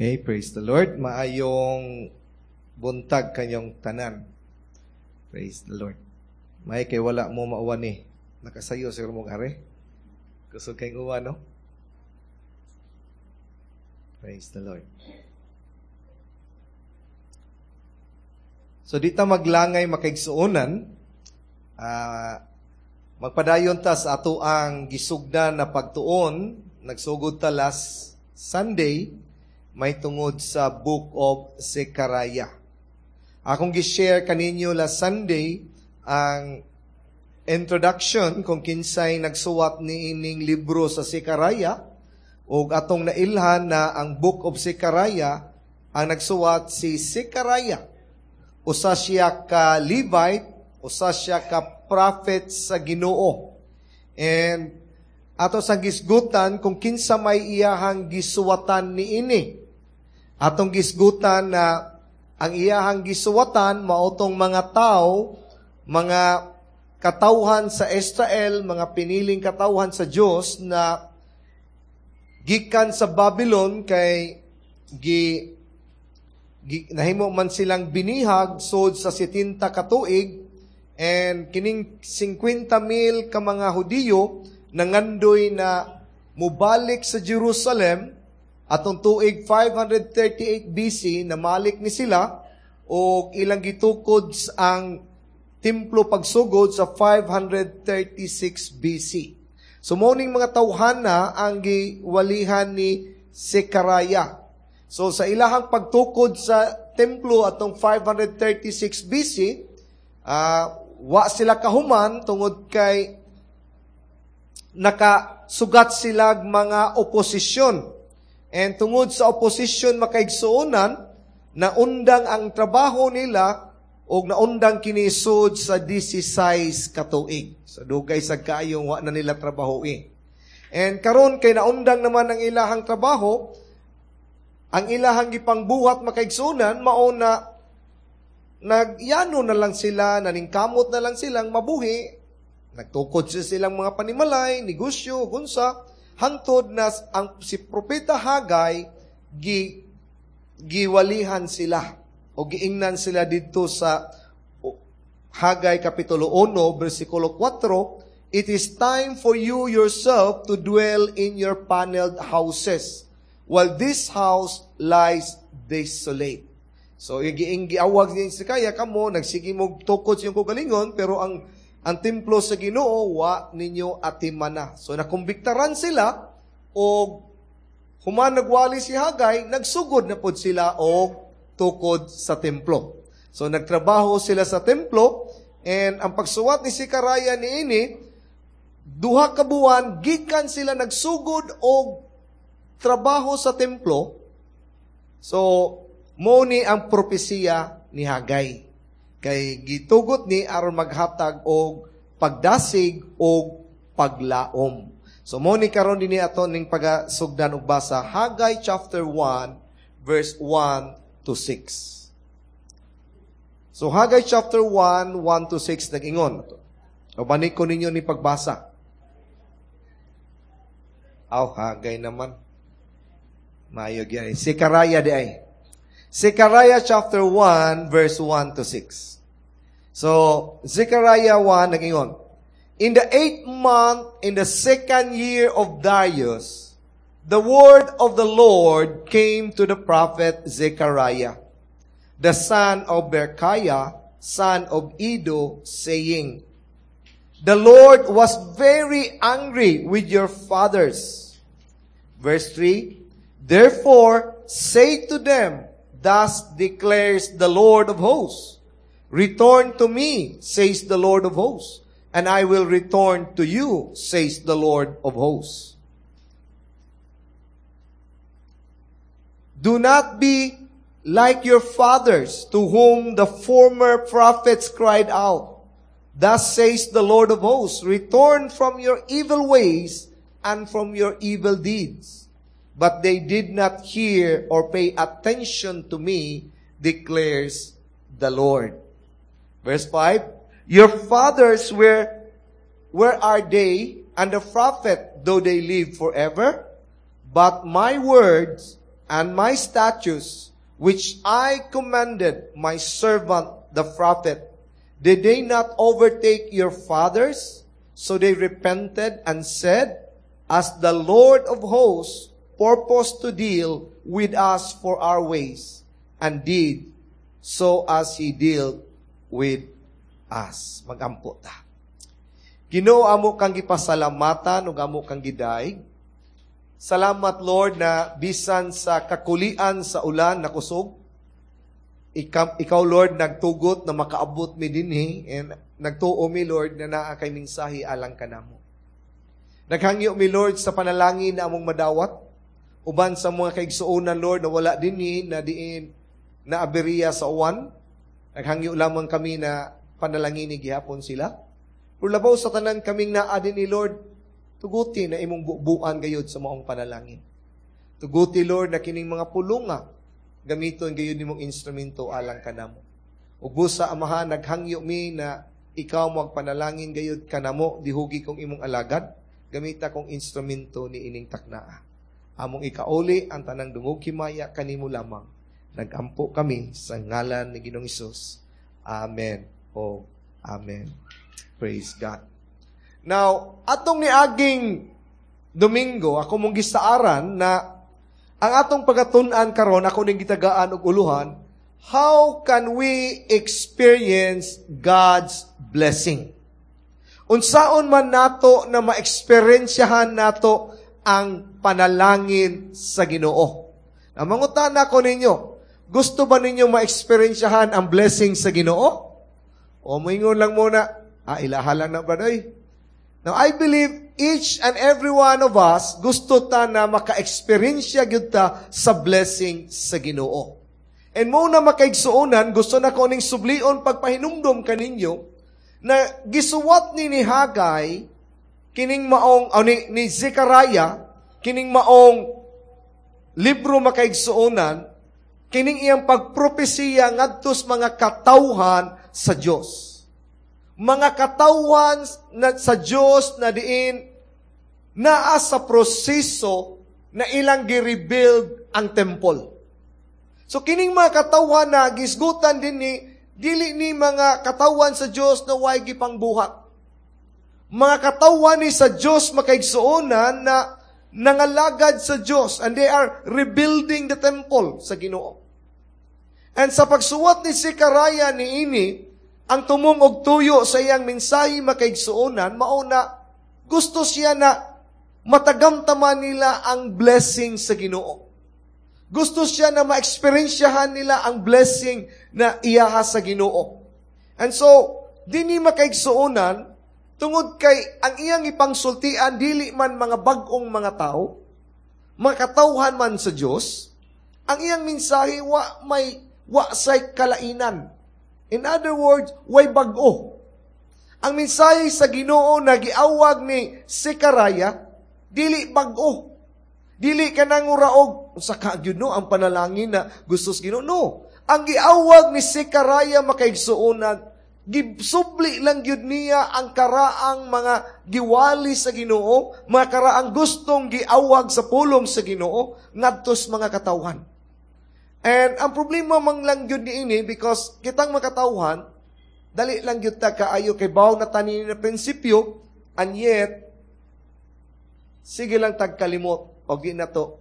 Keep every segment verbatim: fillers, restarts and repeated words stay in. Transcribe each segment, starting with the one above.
Okay, praise the Lord. Maayong buntag kanyong tanan. Praise the Lord. May kay wala mo mauwan ni. Nakasayo siguro mo are. Kusog kayong uwan, no? Praise the Lord. So di ta maglangay makaigsuonan, uh, magpadayon ta sa ato ang gisugdan na pagtuon, nagsugod ta last Sunday, may tungod sa Book of Zechariah. Akong gi-share kaninyo last Sunday ang introduction kung kinsay nagsuwat ni ining libro sa Zechariah ug atong nailhan na ang Book of Zechariah ang nagsuwat si Zechariah. Usa siya ka Levite, usa siya ka prophet sa Ginoo. And ato sa gisgutan kung kinsa may iyahang gisuwatan niini. Atong gisgutan na ang iyahang gisuwatan maotong mga tao, mga katawhan sa Israel, mga piniling katawhan sa Dios na gikan sa Babylon kay gi, gi nahimo man silang binihag sod sa setenta ka tuig, and kining singkwenta mil ka mga Hudiyo nangandoy na mubalik sa Jerusalem atong tuig five hundred thirty-eight B C, namalik ni sila og ilang gitukod ang templo pagsugod sa five hundred thirty-six B C. So morning mga tawhana ang giwalihan ni Zechariah. So sa ilahang pagtukod sa templo atong five hundred thirty-six B C, uh, wa sila kahuman tungod kay nakasugat sila mga oposisyon. And tungod sa oposisyon makaigsuonan, naundang ang trabaho nila og naundang kinisod sa sixteen katuig. So dugay sa kaayong wa na nila trabaho eh. And karon kay naundang naman ang ilahang trabaho, ang ilahang gipangbuhat makaigsuonan mao na nagyano na lang sila, naningkamot na lang silang mabuhi. Nagtukod siya silang mga panimalay, negosyo, gunsa, hangtod na ang si Propeta Hagay gi, giwalihan sila o giingnan sila didto sa Hagay Kapitulo one, versikulo four, "It is time for you yourself to dwell in your paneled houses, while this house lies desolate." So, giing giawag niya si Kaya, kamo, nagsige mo tukod sa iyong kagalingon, pero ang ang templo sa Ginoo wa ninyo atimana. So nakumbiktaran sila og human nagwali si Hagay, nagsugod na pod sila og tukod sa templo. So nagtrabaho sila sa templo, and ang pagsuwat ni Zechariah niini, duha ka buwan gikan sila nagsugod og trabaho sa templo. So mo ni ang propesiya ni Hagay. Kay gitugot ni aron maghatag og pagdasig og paglaom. So mo ni karon dinhi ato ning pagasugdan og basa Hagay chapter one verse one to six. So Hagay chapter one, one to six nag-ingon. O balik ko ninyo ni pagbasa. Aw, Hagay naman. Maayo gyud. Zechariah di ay. Zechariah chapter one, verse one to six. So, Zechariah one, nag-ingon, "In the eighth month, in the second year of Darius, the word of the Lord came to the prophet Zechariah, the son of Berechiah, son of Iddo, saying, The Lord was very angry with your fathers." Verse three, "Therefore, say to them, Thus declares the Lord of hosts, Return to me, says the Lord of hosts, and I will return to you, says the Lord of hosts. Do not be like your fathers, to whom the former prophets cried out. Thus says the Lord of hosts, Return from your evil ways and from your evil deeds. But they did not hear or pay attention to me, declares the Lord." Verse five, "Your fathers were, where are they, and the prophet, though they live forever? But my words and my statutes, which I commanded my servant the prophet, did they not overtake your fathers? So they repented and said, As the Lord of hosts purposed to deal with us for our ways, and did so as he dealt with us. Magampo ta. Ginoo amo kang gipasalamatan ug amo kang gidayeg. Salamat Lord na bisan sa kakulian sa ulan na kusog, ikaw, ikaw Lord nagtugot na makaabot mi dinhi and nagtuo mi Lord na naa kay mensahe alang kanamo. Naghangyo mi Lord sa panalangin na among madawat uban sa mga kaigsuonan Lord na wala dinhi na diin na aberya sa uwan. Naghangyo lamang kami na panalangin ni gihapon sila. Pero labaw sa tanan kaming naa dinhi Lord, tuguti na imong bubuan gayud sa maong panalangin. Tuguti Lord na kining mga pulunga gamiton gayud nimong instrumento alang kanamo. Ug busa Amahan naghangyo mi na ikaw magpanalangin gayud kanamo dihugi kong imong alagad gamita kong instrumento ni ining taknaa. Among ikauli ang tanang dungog himaya kanimo lamang. Nagampo kami sa ngalan ni Ginoong Hesus. Amen. O Amen. Praise God. Now, atong niaging Domingo, ako mong gisaaran na ang atong pagatun-an karon ako ning gitagaan og uluhan, how can we experience God's blessing? Unsaon man nato na ma-eksperensyahan nato ang panalangin sa Ginoo. Now, mangutana ko ninyo, gusto ba ninyo ma-eksperensyahan ang blessing sa Ginoo? O moingon lang muna, ah, ilaha lang na brother. Now, I believe each and every one of us gusto ta na maka-eksperyensya gyud ta sa blessing sa Ginoo. And mo na makaigsuonan, gusto na ko ning sublion pagpahinumdom kaninyo na gisuwat ni ni Hagay kining maong o ni, ni Zechariah kining maong libro makaigsuonan kining iyang pagpropesiya ngadto sa mga katawhan sa Dios. Mga katawhan na, sa Dios na diin naa sa proseso na ilang gi-rebuild ang temple. So kining mga katawhan na gisgutan din ni dili ni mga katawhan sa Dios na way gipangbuhat. Mga katawhan ni sa Dios makaigsuonan na nangalagad sa Dios and they are rebuilding the temple sa Ginoo. And sa pagsuwat ni Zechariah ni ini, ang tumong og tuyo sa iyang mensahe makaigsuonan, mao na gusto siya na matagamtaman nila ang blessing sa Ginoo. Gusto siya na ma-eksperensyahan nila ang blessing na iyaha sa Ginoo. And so, dinhi makaigsuonan, tungod kay ang iyang ipangsultian dili man mga bag-ong mga tao, mga katawhan man sa Dios, ang iyang mensahe wa may wa say kalainan. In other words, way bag-o. Ang mensahe sa Ginoo na giawag ni Zechariah, dili bag-o. Dili ka nanguraog sa ka gyud no ang panalangin na gusto sa Ginoo. No. Ang giawag ni Zechariah makaigsuonan, gisubli lang gyud niya ang karaang mga giwali sa Ginoo, mga karaang gustong giawag sa pulong sa Ginoo ngadto sa mga katawhan. And ang problema man lang gyud niini because kitang mga katawhan dali lang gyud ta kaayo kay baw na tanin na prinsipyo and yet sige lang tagkalimot og di na to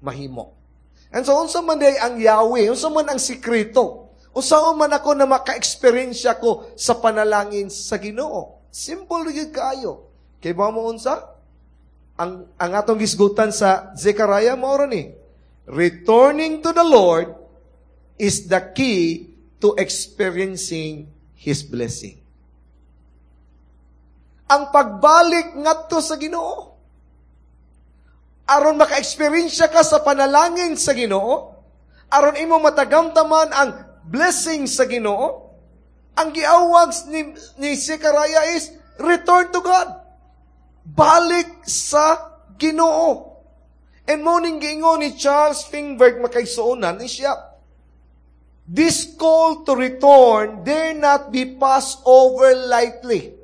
mahimo. And so unsa man day ang Yahweh, unsa man ang sikreto? Unsa man ako na maka-experience ko sa panalangin sa Ginoo? Simple gyud kaayo. Kay ba mo unsa? Ang ang atong gisgutan sa Zechariah mao ra ni. Returning to the Lord is the key to experiencing His blessing. Ang pagbalik ngadto sa Ginoo. Aron maka-experience ka sa panalangin sa Ginoo, aron imo matagamtaman ang blessing sa Ginoo, ang giawag ni, ni Zechariah is return to God. Balik sa Ginoo. And mo ning giingon ni Charles Fingberg makaigsuonan ni siya, This call to return dare not be passed over lightly.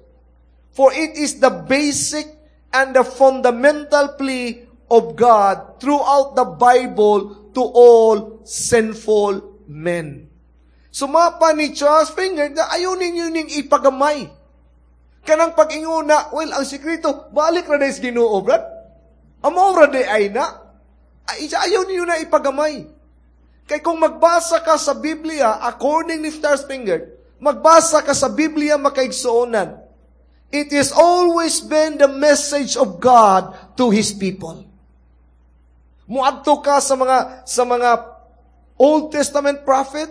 For it is the basic and the fundamental plea of God throughout the Bible to all sinful men. Sumapa ni Charles Finger na ayaw ninyo ning ipagamay. Kanang pag-ingon na, well, ang sekreto, balik ra sa Ginoo, brad. Amo ra diay na. Ay, ayaw ninyo na ipagamay. Kay kung magbasa ka sa Biblia, according ni Charles Finger, magbasa ka sa Biblia makaigsuonan, it has always been the message of God to His people. Muadto ka sa mga sa mga Old Testament prophet,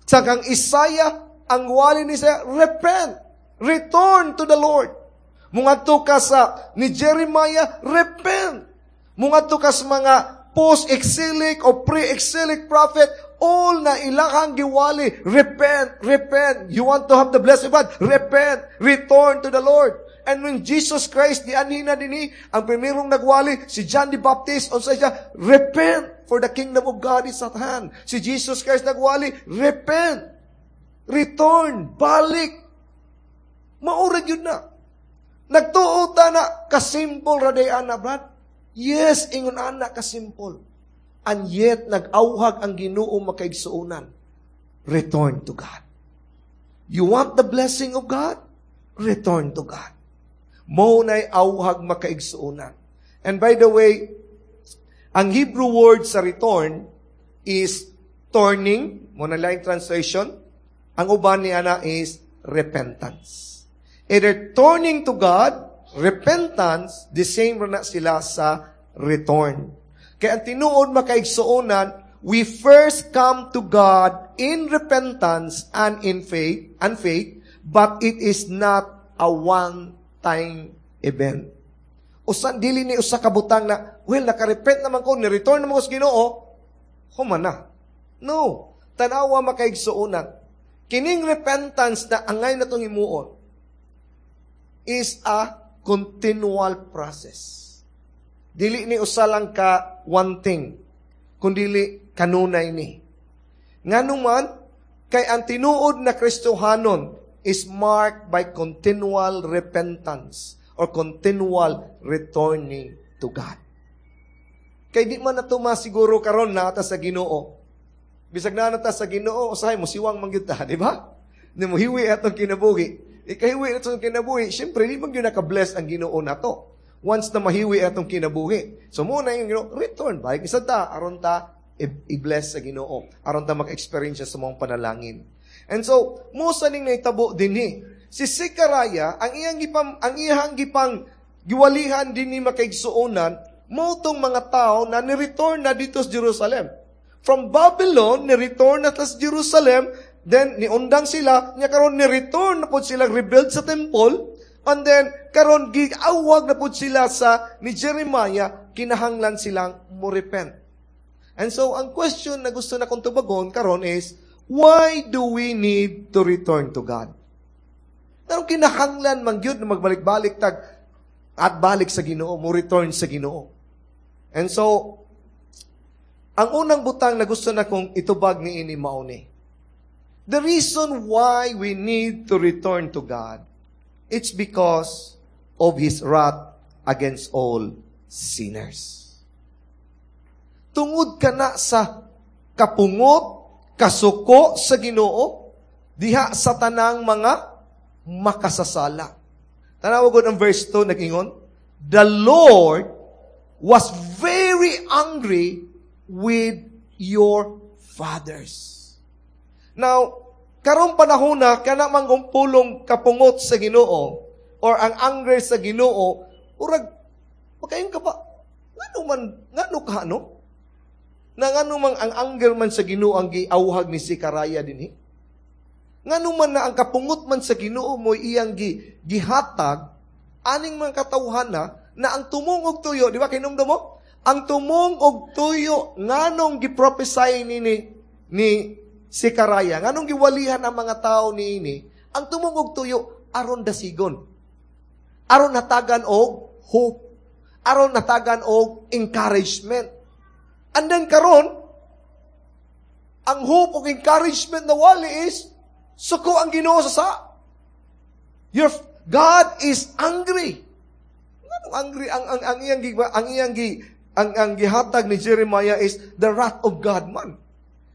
sa kang Isaiah, ang wali ni siya, repent, return to the Lord. Mungadto ka sa ni Jeremiah, repent. Mungadto ka sa mga post-exilic o pre-exilic prophet, all na ilahang giwali, repent, repent. You want to have the blessing of God, repent, return to the Lord. And when Jesus Christ, dianhi na dinhi, ang primerong nagwali, si John the Baptist, unsa siya, repent, for the kingdom of God is at hand. Si Jesus Christ nagwali, repent, return, balik. Mao ra gyud na. Nagtuo ta na, kasimple ra diay ana, brad. Yes, ingon ana kasimple. And yet, nag-awhag ang Ginoo makaigsuonan. Return to God. You want the blessing of God? Return to God. Mao na'y awhag makaigsuonan. And by the way, ang Hebrew word sa return is turning, mao na laing translation. Ang uban ni ana is repentance. Either turning to God, repentance, the same na sila sa return. Kaya ang tinuod makaigsuonan, we first come to God in repentance and in faith, and faith, but it is not a one-time event. Usan dili ni usa ka butang na, well, nakarepent naman ko, ni-return naman ko sa Ginoo, human na. No. Tanawa makaigsuonan. Kining repentance na angay na itong himuon is a continual process. Dili ni usa lang ka one thing, kundili kanunay ni. Ngano man, kay ang tinuod na Kristohanon is marked by continual repentance or continual returning to God. Kay di man nato masiguro karon naa ta sa Ginoo. Bisag naa ta sa Ginoo, usahay mo siwang man gyud ta, di ba? Di mo hiwi atong kinabuhi. Ikahiwi atong kinabuhi, syempre di man gyud naka-bless ang Ginoo nato. Once na mahiwi atong kinabuhi. So mao na yung Ginoo, return balik isa ta aron ta i-bless sa Ginoo, aron ta maka-experience sa maong panalangin. And so, mao sa ning nahitabo dinhi. Si Zechariah, ang iyang gipang ang iyang gipang giwalihan dinhi makaigsuonan, mao tong mga tao na ni-return na dito sa Jerusalem. From Babylon, ni-return na sa Jerusalem, then niundang sila, nya karon ni-return na pod sila rebuild sa temple, and then karon giawag na pod sila sa ni Jeremiah, kinahanglan silang mo repent. And so, ang question na gusto na kong tubagon karon is, why do we need to return to God? Pero kinahanglan man gyud na magbalik-balik tag at balik sa Ginoo, mo return sa Ginoo. And so, ang unang butang na gusto na kong itubag ni ini mao ni. The reason why we need to return to God, it's because of His wrath against all sinners. Tungod ka na sa kapungot, kasuko sa Ginoo, diha sa tanang mga makasasala. Tanawa gud ang verse two nag-ingon, The Lord was very angry with your fathers. Now, karong panahon na kana man pulong kapungot sa Ginoo or ang anger sa Ginoo, urag makaingon ka ba? Ngano man ngano ka no? Na ngano man ang anger man sa Ginoo ang giawhag ni Zechariah dinhi? Ngano man na ang kapungot man sa Ginoo mo iyang gi, gihatag aning mga katawhan na na ang tumong og tuyo, di ba kinumdum mo? Ang tumong og tuyo nganong gi-prophesy ni ni, ni Zechariah, nganong giwalihan ang mga tao niini, ang tumong og tuyo aron dasigon. Aron natagan og hope. Aron natagan og encouragement. And then karon, ang hope og encouragement na wali is suko ang Ginoo sa sa. Your God is angry. Nganong angry ang ang ang iyang gi ang iyang gi Ang, ang gihatag ni Jeremiah is the wrath of God man.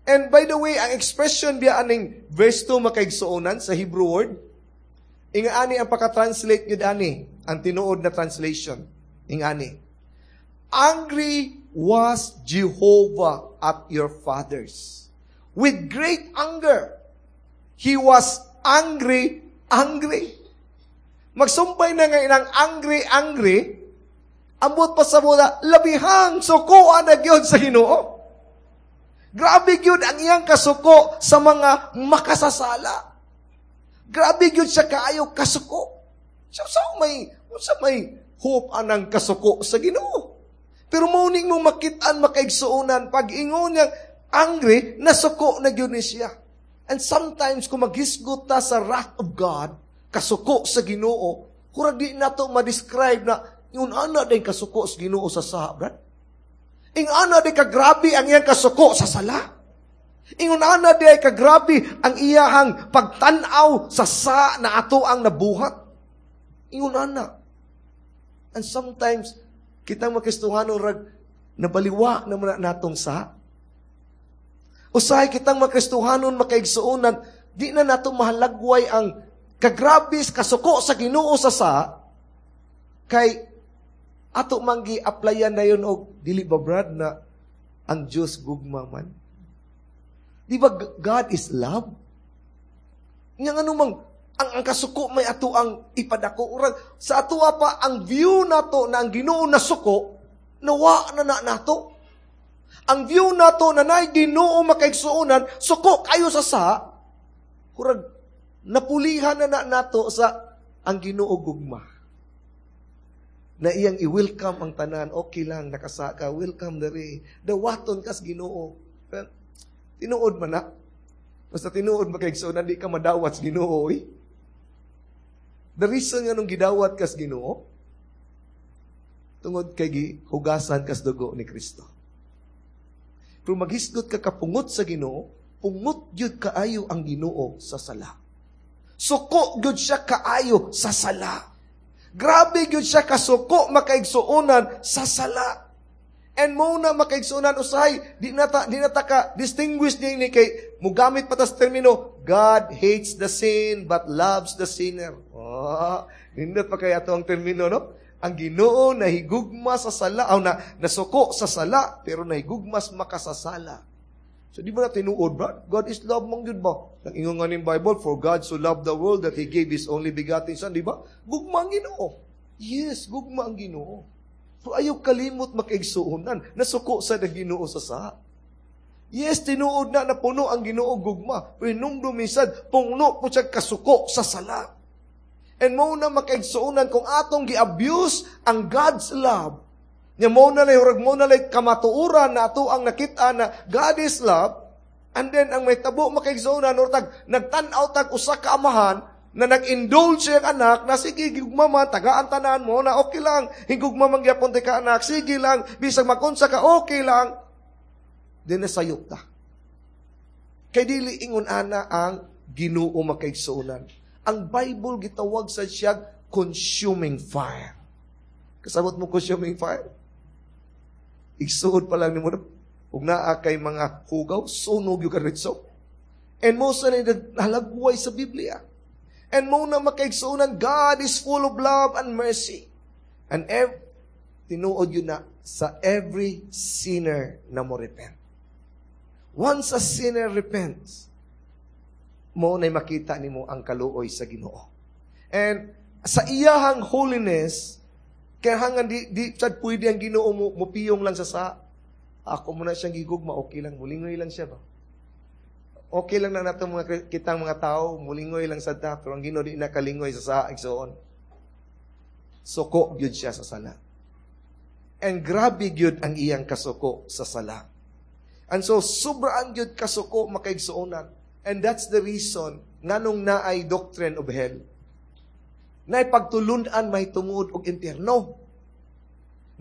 And by the way, ang expression biya aning verse two, makaigsuonan, sa Hebrew word, ingani ang pagka-translate gyud ani, ang tinuod na translation. Ingani: "Angry was Jehovah at your fathers. With great anger. He was angry, angry." Magsumpay na nga inang angry, angry, ambot pa sa muna, labihang sukoan na gyud sa Ginoo. Grabe gyud ang iyang kasuko sa mga makasasala. Grabe gyud siya kaayo kasuko. So, sa may, sa may hope anang kasuko sa Ginoo? Pero mao ning mo makitaan, makaigsuonan, pag ingon niya angry, nasuko na gyud ni siya. And sometimes, kung maghisgot ta sa wrath of God, kasuko sa Ginoo, kurag di nato ma-describe na yung ana din kasuko sa Ginoo sa saha, brad. Ing ana di kagrabe ang iyang kasuko sa sala. Ingon ana di ay kagrabe ang iyahang pagtan-aw sa sa na ato ang nabuhat. Ingon ana. And sometimes, kitang makristohanon rag nabaliwa naman natong sa. Usahay kitang makristohanon, makaigsuonan, di na nato mahalagway ang kagrabis kasuko sa Ginoo sa sa kay ato man gi-applyan na yun og dili ba, brad, na ang Diyos gugma man? Di ba God is love? Nga ano mang ang, ang kasuko may ato ang ipadako. Urag, sa ato pa ang view nato na ang Ginoo nasuko, nawa na na nato. Ang view nato na naay Ginoo, makaigsuonan, suko kayo sa sa, kurag napulihan na na nato sa ang Ginoo gugma. Na iyang i-welcome ang tanan, okay lang, nakasaka, welcome diri. Dawaton kas Ginoo. Tinuod man na. Basta tinuod, makaigsuonan, di ka madawat sa Ginoo, eh. The reason nga nung gidawat kas Ginoo, tungod kay gihugasan kas dugo ni Kristo. Pero maghisgot ka kapungot sa Ginoo, pungot gyud kaayo ang Ginoo sa sala. Suko gyud siya kaayo sa sala. Grabe gyud siya kasuko, makaigsuonan, sa sala. And mo na, makaigsuonan, usahay di nata di nata ka distinguish ni ni kay mugamit pa tas termino, "God hates the sin but loves the sinner." Oh, nindot pa kaya to ang termino, no? Ang Ginoo nahigugma sa sala, o na nasuko sa sala pero nahigugma sa makasasala. So di ba na tinuod ba? God is love man gyud ba? Nang ingon nga ning Bible, "For God so loved the world that He gave His only begotten Son," di ba? Gugma ang Ginoo. Yes, gugma ang Ginoo. Pero ayaw kalimot, makaigsuonan, nasuko sa Ginoo sa sa. Yes, tinuod na napuno ang Ginoo gugma. Pero hinumdum minsan, puno po siya kasuko sa sala. And mo na, makaigsuonan, kung atong gi-abuse ang God's love, nya mo na lay hurag mo na lay kamatuoran na ato ang nakita na God is love, and then ang may tabo, makaigsuonan, or tag nagtan-aw tag usa ka amahan na nag-indulge siyang anak na sige gugma man, tagaan tanan mo na okay lang, higugma man gyapon ka anak, sige lang, bisag makunsa ka, okay lang, then nasayop ta. Kay dili ingon ana ang Ginoo, makaigsuonan. Ang Bible gitawag sa siya consuming fire. Kasabot mo consuming fire? Igsuod pa lang nimo ug naa kay mga hugaw, sunog yung karitso. And most na halagway sa Biblia. And mo na, makaigsuonan, God is full of love and mercy. And ev tinuod yun na sa every sinner na mo repent. Once a sinner repents, mo na makita nimo ang kaluoy sa Ginoo. And sa iyahang holiness, kaya hangan di, di sad pwede ang Ginoo mo, mupiyong lang sa sa ako mo na siyang gigugma, okay lang, mulingoy lang siya ba? Okay lang na nato mga kitang mga tao, mulingoy lang sa ta, pero ang Ginoo di nakalingoy sa sa igsoon. Suko gyud siya sa sala. And grabe gyud ang iyang kasuko sa sala. And so, sobrang gyud kasuko, makaigsuonan. And that's the reason nganong naay doctrine of hell. Naay pagtulunan may tungod og impyerno.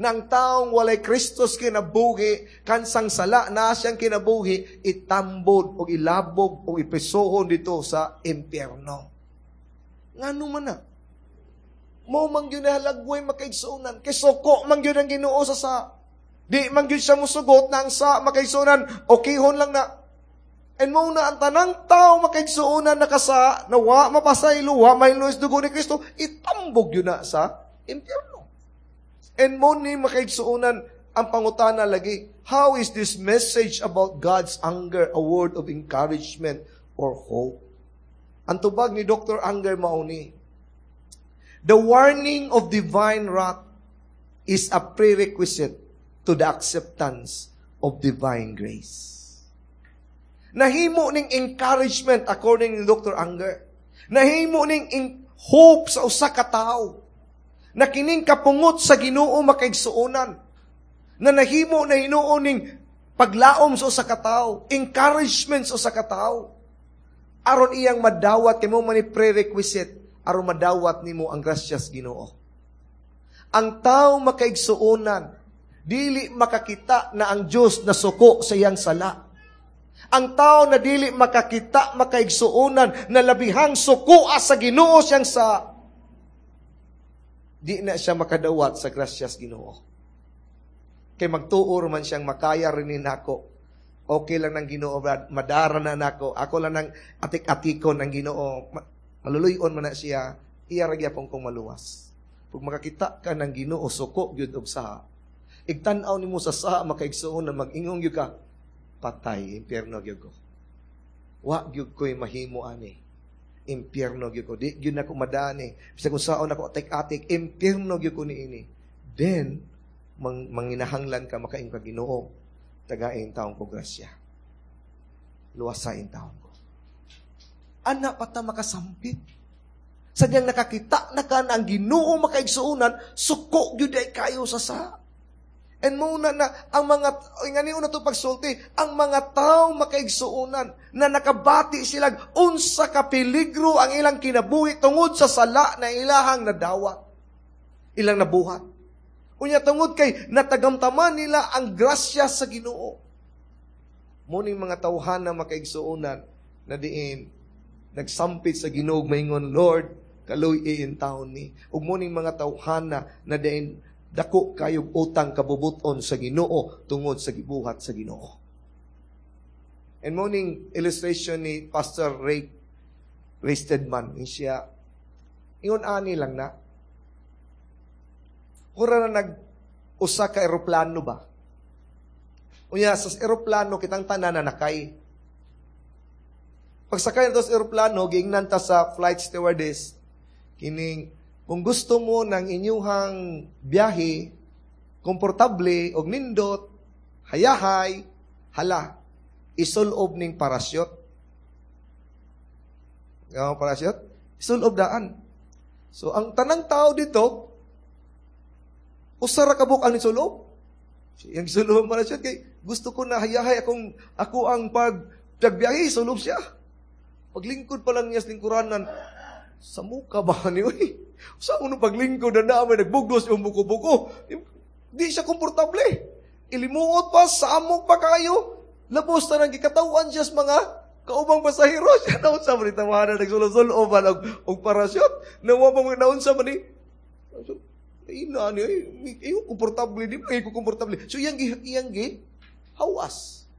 Nang taong walay Kristos kinabuhi, kansang sala na siyang kinabuhi, itambod o ilabog o ipesohon dito sa impyerno. Ngano man na? Mo man gyud nahalagway, makaigsuonan. Kay suko man gyud ang Ginoo sa sa. Di man gyud siya musugot na ang sa makaigsuonan, okayhon lang na. And mao na ang tanang tao makaigsuonan nakasa, na wa mapasaylo, wa mahilo sa dugo ni Kristo, itambog gyud na sa impyerno. And mao ni makaigsuonan ang pangutana lagi, how is this message about God's anger a word of encouragement or hope? Ang tubag ni Doctor Anger mao ni, the warning of divine wrath is a prerequisite to the acceptance of divine grace. Nahimo ning encouragement according ni Doctor Anger. Nahimo ning hope sa usa ka tawo. Na kining kapungot sa Ginoo makaigsuonan. Na nahimo na hinuon ning paglaom sa usa ka tawo, encouragement sa usa ka tawo. Aron iyang madawat kay mao man ni prerequisite aron madawat nimo ang grasyas Ginoo. Ang tao makaigsuonan dili makakita na ang Dios nasuko sa iyang sala. Ang tao na dili makakita makaigsuonan na labihang sukoa sa Ginoo siyang sa di na siya makadawat sa grasyas Ginoo. Kay magtuo man siyang makaya rin ni nako. Okay lang ng Ginoo, Brad. Madara na nako. Ako lang ng atik-atikon ng Ginoo. Maluluyon man na siya. Iya ra gyapon kong maluwas. Pag makakita ka ng Ginoo, suko gyud og saha. Igtan-aw nimo sa saha makaigsuon na mag-ingong gyud ka, patay, impyerno gyud ko. Wa gyud ko'y mahimo ani. Impyerno gyud ko. Di gyud nako madani. Bisag kung saon ako atik-atik, impyerno gyud ko niini. Then, mang, manginahanglan ka makaingon ka Ginoo, tagain taon ko grasya. Luwasain taon ko. Ana pa ta makasampit. Sa diyang nakakita na ka na ang Ginoo makaigsuonan, suko gyud ay kayo sa sa. And mao na na ang mga ngani una to pagsulti, ang mga tao makaigsuonan na nakabati sila unsa ka peligro ang ilang kinabuhi tungod sa sala na ilahang nadawat. Ilang nabuhat. Unya tungod kay natagamtaman nila ang grasya sa Ginoo. Muning mga tawhan na makaigsuonan na diin nagsampit sa Ginoo maingon, Lord, kaluy-i taon ni. Ug muning mga tawhana na diin dako kayog utang kabubuton sa Ginoo tungod sa gibuhat sa Ginoo. And morning illustration ni Pastor Ray Ray Stedman, siya ingon ani lang na Ura na nag usa ka eroplano ba? Unya sa eroplano kitang tanan na nakay. Pagsakay na sa eroplano, giingnan ta sa flight stewardess kining kung gusto mo ng inyuhang biyahe, komportable og nindot, hayahay, hala, isulob ning parasyot. Nga parasyot? Isulob daan. So, ang tanang tao dito, usa ra ka buok ang nisulob. Yang sulob ang parasyot kay gusto ko na hayahay akong ako ang pag pagbiyahe, sulob siya. Paglingkod pa lang niya sa lingkuranan, sa muka ba ni uy? Sa unong paglingkod na namin, nagbugos yung buko-buko. Di siya komportable. Ilimuot pa, samok pa kayo. Labos na nang gikatawan siya sa mga kaubang pasahero. Siya naunsa man ni tawanan, nagsulo-sulo ba og, og parasyot. Nawa pa mga naunsa man ni. So, ina ni, ay, komportable, di ba ko komportable. So, iyang, iyang gi, hawas.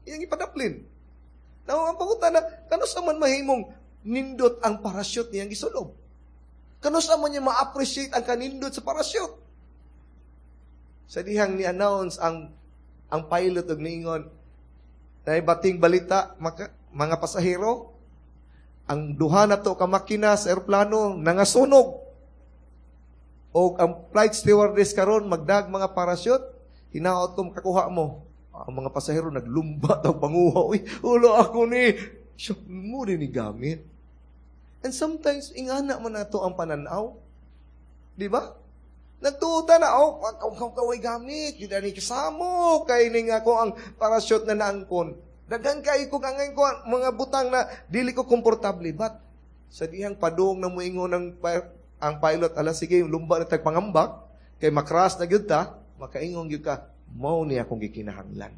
Iyang ipadaplin. Now, ang pangutana, kanus man mahimong nindot ang parasyot niyang gisulob? Kanus man niya ma-appreciate ang kanindot sa parasyot? Sa dihang ni-announce ang ang pilot og niingon, na bating balita maka, mga pasahero, ang duha na to ka makina sa eroplano nangasunog. O ang flight stewardess karon magdag mga parasyot, hinaot ko makakuha mo. Ang mga pasahero naglumba daw panguha. Uy, ulo ako ni. Siya mo rin ni gamit. And sometimes, ingana man nato ang pananaw. Di ba? Nagtuuta na, oh, kaw kaway gamit, yun ni kasamo, kay ning ako ang parasyot na naangkon. Daghan kay ko angay ko mga butang na dili ko komportable. But, sa dihang padung na muingon ng ang pilot, ala sige, lumba na tag pangambak, kay makras na gyud ta, makaingon gyud ka, mao ni akong gikinahanglan.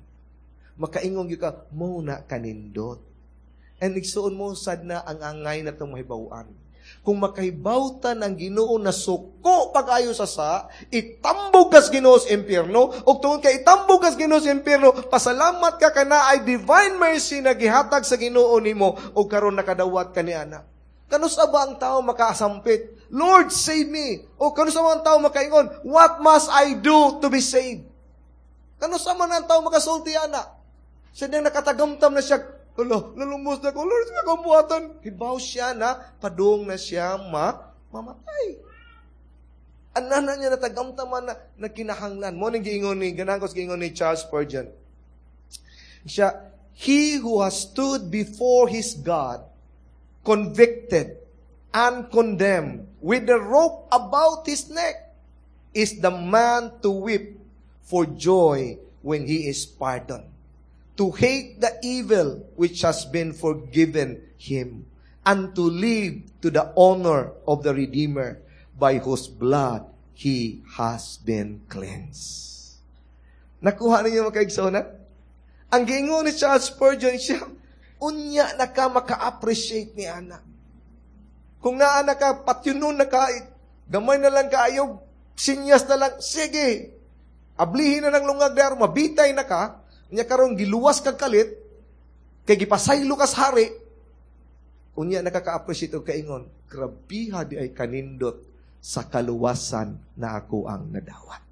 Makaingon gyud ka, mao na kanindot. And igsuon mo sad na ang angay na itong mahibaw-an. Kung makahibawtan ang Ginoo na suko pag-ayo sa sa, itambog kas Ginoo sa impyerno, ug tungod kay itambog kas Ginoo sa impyerno, pasalamat ka kana ay divine mercy na gihatag sa Ginoo nimo ug karon nakadawat ka ni ana. Kanus-a ba ang tao makasampit? Lord, save me. O kanus-a ba ang tao makaingon? What must I do to be saved? Kanus-a man ang tao makasulti ana? Sa diyang nakatagamtam na siya, Hala, nalumos na ko, Lord, sa akong buhatan. Hibaw siya na, padung na siya ma, mamatay. Anana niya natagamtaman na, na kinahanglan. Mao ning giingon ni, ganahan ko sa giingon ni Charles Spurgeon. Siya, he who has stood before his God, convicted and condemned, with the rope about his neck, is the man to weep for joy when he is pardoned, to hate the evil which has been forgiven him, and to live to the honor of the Redeemer by whose blood he has been cleansed. Nakuha ninyo mga kaigsonan? Ang giingon ni Charles Spurgeon siya, unya na ka maka-appreciate ni ana. Kung naa na ka, patyunon na ka, gamay na lang kaayo, sinyas na lang, sige, ablihin na ng lungag dar, mabitay na ka, nya karon giluwas kag kalit, kay gipasaylo kas hari, unya nakaka-appreciate og kaingon, grabiha di ay kanindot sa kaluwasan na ako ang nadawat.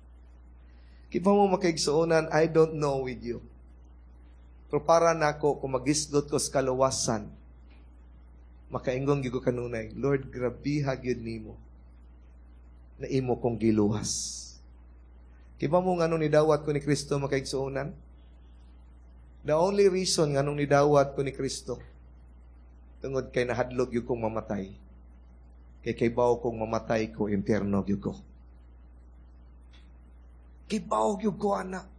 Kibaw mo makaigsuonan, I don't know with you. Pero para nako kung magisgot ko sa kaluwasan, makaingon gyud ko kanunay, Lord, grabiha gyud nimo na imo kong giluwas. Kibaw mo nganong nidawat ko ni Kristo makaigsuonan? The only reason nganong nidawat ko ni Kristo, tungod kay nahadlok gyud kong mamatay. Kay kaybaw kong mamatay ko, impyerno gyud ko. Kibaw gyud ko, anak.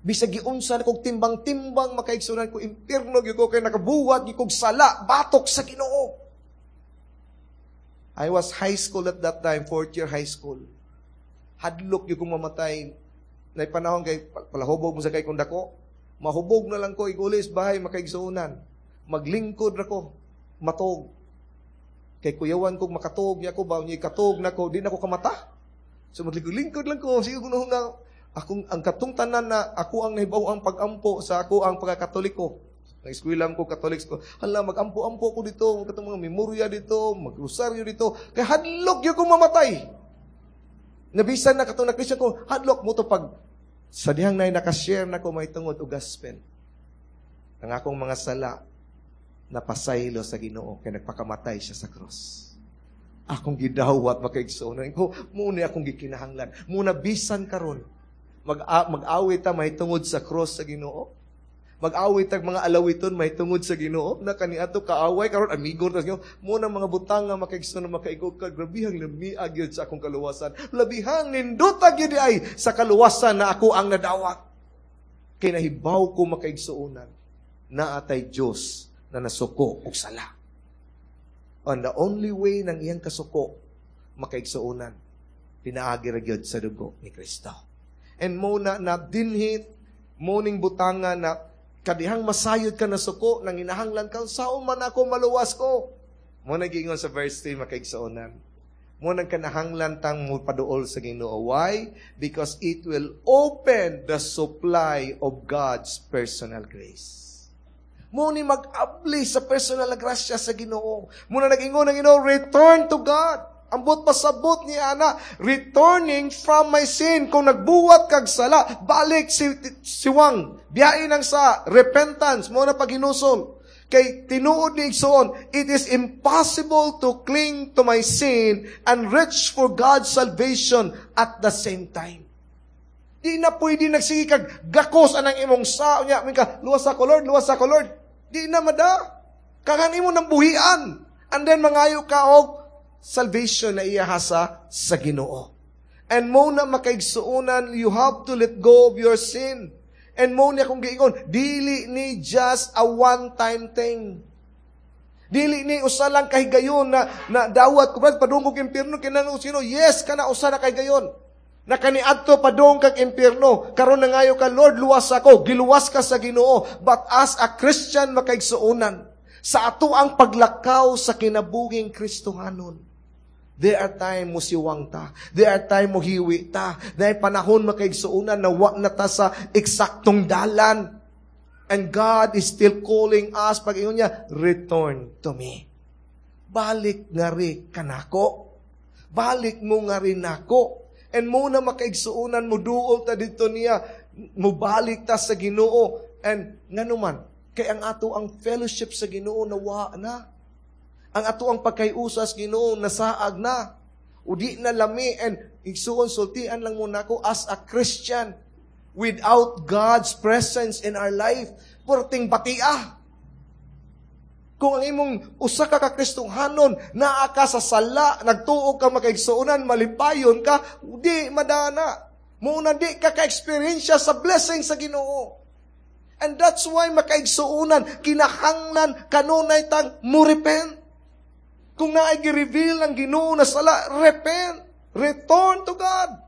Bisag giunsa na kog timbang-timbang makaigsunan ko, impyerno gyud ko kay nakabuhat gyud kog sala, batok sa Ginoo. I was high school at that time, fourth year high school. Hadlok gyud kong mamatay. Nay panahon kay palahubog mo sa kay kong dako. Mahubog na lang ko igulis bahay makaigsuonan. Maglingkod ra ko, matog. Kay kuyawan kog makatog niya ko ba niya katog nako, di na ko kamata. So maglingkod lang ko, sige kuno na akong ang katong tanan na ako ang nahibaw ang pag-ampo sa ako ang pagkakatoliko. Nag-eskwela ko Catholics ko. Hala mag-ampo-ampo ko dito, katong mga memorya dito, magrosaryo dito. Kay hadlok gyud kong mamatay. Nabisan na katong na Christian ko, hadlok mo to pag sa dihang nay nakashare na ko may tungod og gospel. Ang akong mga sala napasaylo sa Ginoo kay nagpakamatay siya sa cross. Akong gidawat makaigsoon ko muna akong gikinahanglan. Muna bisan karon mag mag-awit ta mahitungod sa cross sa Ginoo. Mag-awit tag mga alawiton mahitungod sa Ginoo na kaniadto kaaway karon amigo ta sa Ginoo. Muna mga butang nga makaigsoon na makaigog ka grabihang lamiag gyud sa akong kaluwasan. Labihang nindota gyud ay sa kaluwasan na ako ang nadawat. Kay nahibaw ko makaigsuonan naa tay Dios na nasuko og sala. And the only way ng iyang kasuko makaigsuonan pinaagi ra gyud sa dugo ni Kristo. And mo na na dinhit mo ning butanga na kadihang masayod ka na suko nang inahanglan ka sao man ako maluwas ko. Mo na giingon sa verse three makaigsuonan. Mo nang kanahanglan tang mo paduol sa Ginoo. Why? Because it will open the supply of God's personal grace. Mo ni mag-abli sa personal na grasya sa Ginoo. Mo na nag-ingon ang Ginoo, return to God. Ambot pasabot ni ana, returning from my sin. Kung nagbuwat kag sala, balik si siwang. Biyain ang sa repentance, mo na paghinusol. Kay tinuod ni igsoon, it is impossible to cling to my sin and reach for God's salvation at the same time. Di na pwede nagsige kag gakos anang imong sa unya ka luwas ako Lord, luwas ako Lord. Di na mada. Kangan imo nang buhian. And then mangayo ka og salvation na iya sa sa Ginoo. And mo na makaigsuonan, you have to let go of your sin. And mo niya kung giingon, dili ni just a one-time thing. Dili ni usa lang kahigayon na, na dawat ko padung kog impyerno kinang sino yes kana usa na kahigayon. Na kaniadto padung kag impyerno karon nangayo ka Lord luwas ako giluwas ka sa Ginoo but as a Christian makaigsuonan Sa ato ang paglakaw sa kinabuhing Kristohanon. There are time mo siwang ta. There are time mo hiwi ta. There are panahon, makaigsuunan, na wa na ta sa eksaktong dalan. And God is still calling us, pag ingon niya, "Return to me." Balik nga ri kanako. Balik mo nga rin nako. And mo na, makaigsuunan, mo duol ta dito niya, mubalik ta sa Ginoo. And nganuman, kay ang ato ang fellowship sa Ginoo nawa na. Ang ato ang pagkayusa sa Ginoo nasaag na. O di na lami. And igsuon, sultian lang muna ko as a Christian without God's presence in our life, perting batia. Kung ang imong usa ka ka Kristohanon naa ka sa sala, nagtuo ka, makaigsuonan, malipayon ka, di madana. Muna di ka ka-experience sa blessing sa Ginoo. And that's why, makaigsuonan, kinahanglan kanunay tang mo repent. Kung naay gi-reveal ang Ginoo na sala, repent. Return to God.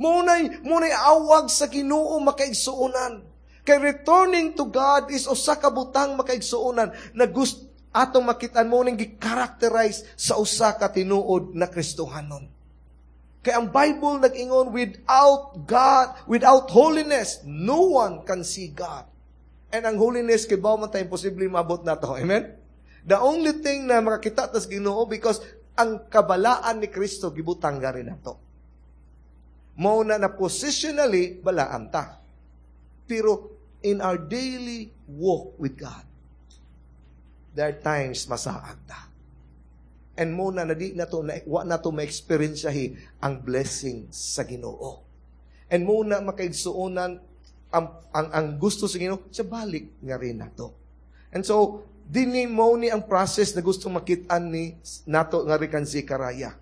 Munay, munay awag sa Ginoo, makaigsuonan. Kay returning to God is usa ka butang, makaigsuonan, na gusto atong makitaan mo ning gi-characterize sa usa ka tinuod na Kristohanon. Kay ang Bible nag-ingon, without God, without holiness, no one can see God. And ang holiness, kay man tayo imposible maabot nato. Amen? The only thing na makakita tas Ginoo because ang kabalaan ni Kristo gibutang gari nato. Mao na na positionally balaan ta. Pero in our daily walk with God, there are times masaag ta. And mo na na di na to na, wa na to ma-experience ang blessing sa Ginoo. And mo na, makaigsuonan, ang, ang, ang gusto sa Ginoo sa balik nga rin nato. And so dinhi mo ni ang process na gusto makitaan ni nato nga rin kan Zechariah.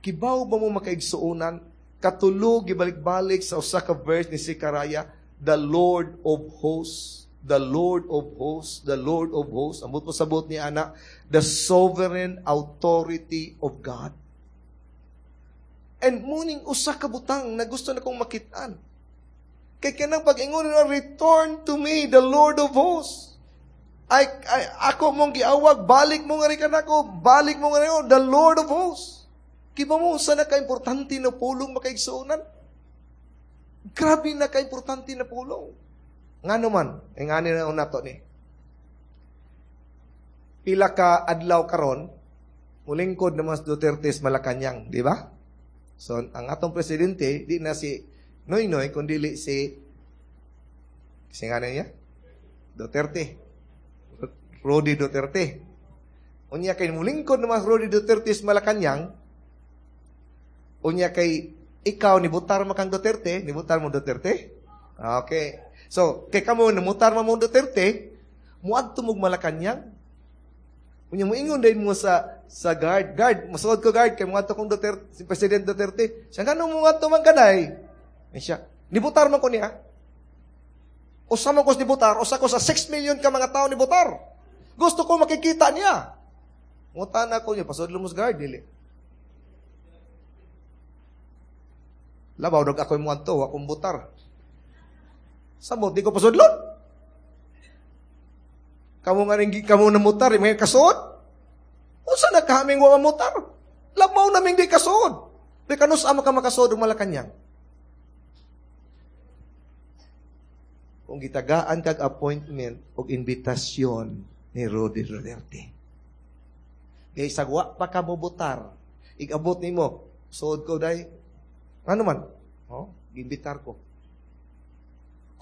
Kibaw ba mo, makaigsuonan, katulo gibalik-balik sa usa ka verse ni Zechariah, "The Lord of hosts, the Lord of hosts, the Lord of hosts"? Ambot mo sabot ni ana, the sovereign authority of God. And muning usa ka butang na gusto na kong makitaan. Kay kanang pag-ingon na, "Return to me, the Lord of hosts." Ay, ay ako mong giawag, balik mo nga rin kanako, balik mo nga rin, the Lord of hosts. Kibaw mo sa na ka-importante na pulong, makaigsuonan? Grabe na ka-importante na pulong. Nga naman, eh nga ni na nato ni. Pila ka adlaw karon, mulingkod naman si Duterte sa Malacanang, di ba? So, ang atong presidente, di na si Noynoy, kundi si, si nga na niya? Duterte. Rody Duterte. Unya kay mulingkod naman si Rody Duterte sa Malacanang, unya kay ikaw nibutar mo kang Duterte, nibutar mo Duterte? Okay. So, kay kamo namutar mo mo Duterte, muadto mo Malacanang. Unya moingon din mo sa sa guard, "Guard, mosuod ko, guard, kay muadto kong Duterte, si President Duterte." Siya, "Ngano mo adto man kaday?" Ay siya, "Nibutar man ko niya. Usa man ko nibutar, usa ko sa six million ka mga tao nibutar. Gusto ko makikita niya." Ngutana ko niya, "Pasudlo mo sa guard, dili?" "Labaw dog ako mo adto, akong butar. Samot, di ko pasudlon. Kamu nga rin, kamu namutar, may kasuod. Unsa na kaming wa mamutar? Labaw naming di kasuod. Di kanus ama ka makasuod og Malacanang?" Kung gitagaan kag appointment og imbitasyon ni Rody Duterte. Kay sagwa pa ka mobutar, igabot nimo, "Suod ko, day." "Ano man?" "Oh, giimbitar ko."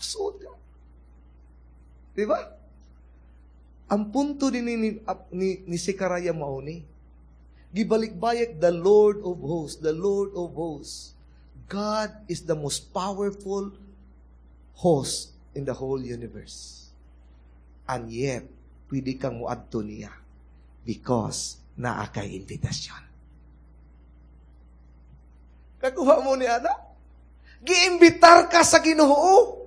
Suod ka. Di ba? Ang punto din ni, ni, ni, ni Zechariah mao ni. Gibalik-bayek, "The Lord of hosts, the Lord of hosts." God is the most powerful host in the whole universe. And yet, pwede kang muadto niya because naa kay invitasyon. Kakuha mo ni ana? Giimbitar ka sa Ginoo.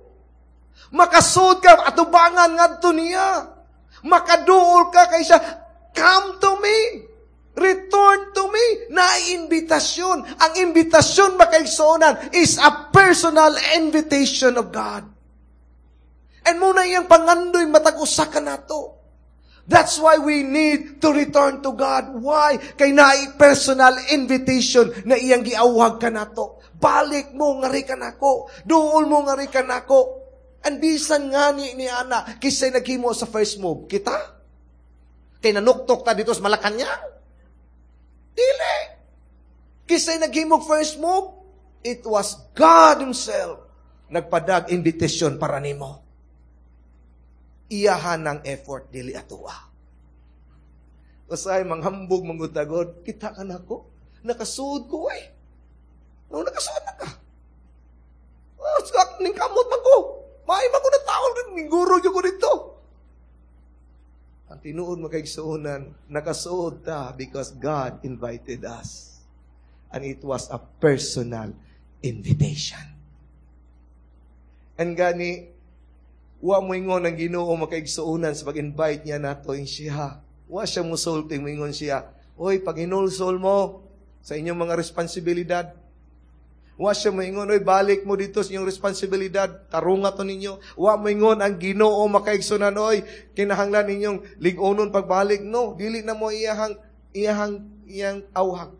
Makasud ka atubangan ngadto niya. Makaduol ka kay siya. "Come to me. Return to me." Na imbitasyon. Ang imbitasyon, makaigsuonan, is a personal invitation of God. And muna iyang pangandoy matag usa ka nato. That's why we need to return to God. Why? Kay naay personal invitation na iyang giawhag kanato. Balik mo ngari kanako. Duol mo ngari kanako. And bisan ngani ni ana, kinsay naghimo sa first move. Kita? Kay nanuktok ta didto sa Malacañang? Dili. Kinsay naghimog first move? It was God Himself nagpadag invitation para nimo. Iyahan ng effort dili atoa. Usahay manghambog mangutagod, kita ka nako. Nakasuod ko eh. No, nakasuod na ka. Oh, sak ning kamot man ko. Maay man ko na tao ning guro ko dito. Ang tinuod makaigsuonan, nakasuod ta because God invited us. And it was a personal invitation. And gani, wa mo ingon ang Ginoo makaigsuonan sa pag-invite niya nato siya. Wa siya musulti moingon siya. Oy, pag inulsol mo sa inyong mga responsibilidad. Wa siya moingon, oy, balik mo dito sa inyong responsibilidad, tarunga to ninyo. Wa moingon ang Ginoo makaigsuonan, oy, kinahanglan ninyong lig-onon pagbalik. No, dili na mo iyahang iyahang iyang awhag.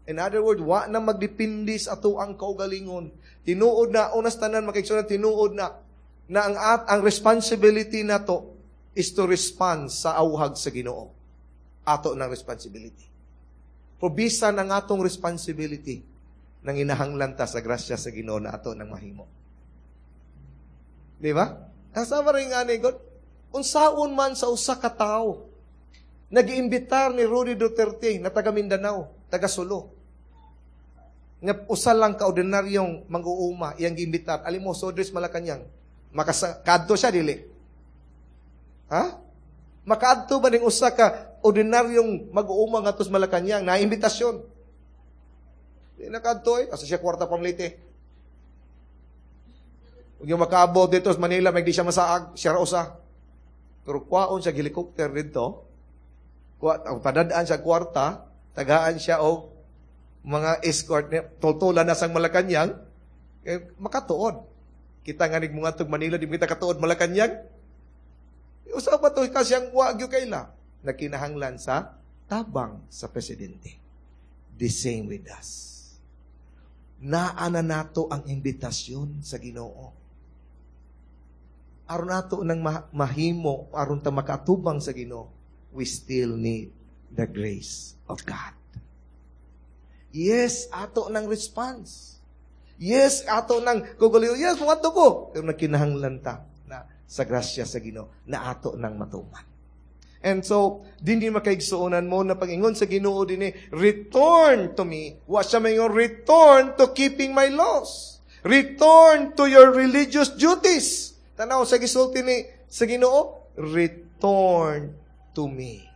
In other words, wa na magdepende sa ato ang kaugalingon. Tinuod na, unas tanan makaigsuonan, tinuod na na ang at ang responsibility nato is to respond sa awhag sa Ginoo. Ato ng responsibility. Pero bisan ang atong responsibility nang inahanglan ta sa grasya sa Ginoo na ato nang mahimo. Di ba? Asa ba rin nga ni God? Unsaon man sa usa ka tawo nag-iimbitar ni Rudy Duterte na taga Mindanao, taga Sulu. Nga usa lang ka ordinaryong mang-uuma iyang giimbitar. Alimo sodres Malacañang. Makadto siya dili. Ha? Makaadto ba ning usa ka ordinaryong mag-uuma ngadto sa Malacañang na imbitasyon? Di nakaadto eh. Asa siya kwarta pamlite. Ug yung makaabot dito sa Manila, may di siya masaag, siya ra usa. Pero kuwaon siya helicopter dito. Kuwa, ang padadaan siya kwarta, tagaan siya og mga escort niya, tultulan na sang Malacañang, eh, makatuod. Kita nga nig mga tug Manila, di kita katuod Malacañang. Usa pa to kasi ang wa gyud kaila nagkinahanglan sa tabang sa presidente. The same with us. Naa na nato ang imbitasyon sa Ginoo. Aron nato nang mahimo, aron ta makatubang sa Ginoo, we still need the grace of God. Yes, ato ng response. Yes, ato ng kuguliw. Yes, muadto ko. Pero nagkinahanglan ta na sa grasya sa Ginoo na ato nang matuman. And so, dinhi makaigsuonan mo na pag-ingon sa Ginoo dinhi, return to me. Wa siya maingon, return to keeping my laws. Return to your religious duties. Tanaw sa gisulti ni sa Ginoo, return to me.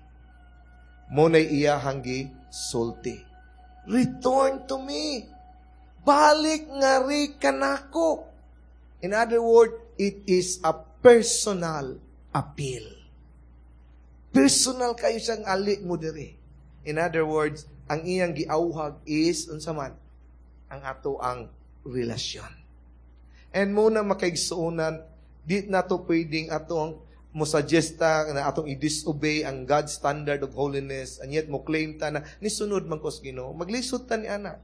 Mo na'y iyahang gisulti. Return to me. Balik ngari kanako. In other words, it is a personal appeal. Personal kayo siyang ali mo diri. In other words, ang iyang giawhag is unsa man ang ato ang relasyon. And mo na makaigsuonan, di nato pwedeng atong mo suggesta na atong i-disobey ang God's standard of holiness and yet mo claim ta na nisunod man ko sa Ginoo. Maglisod ta ni ana.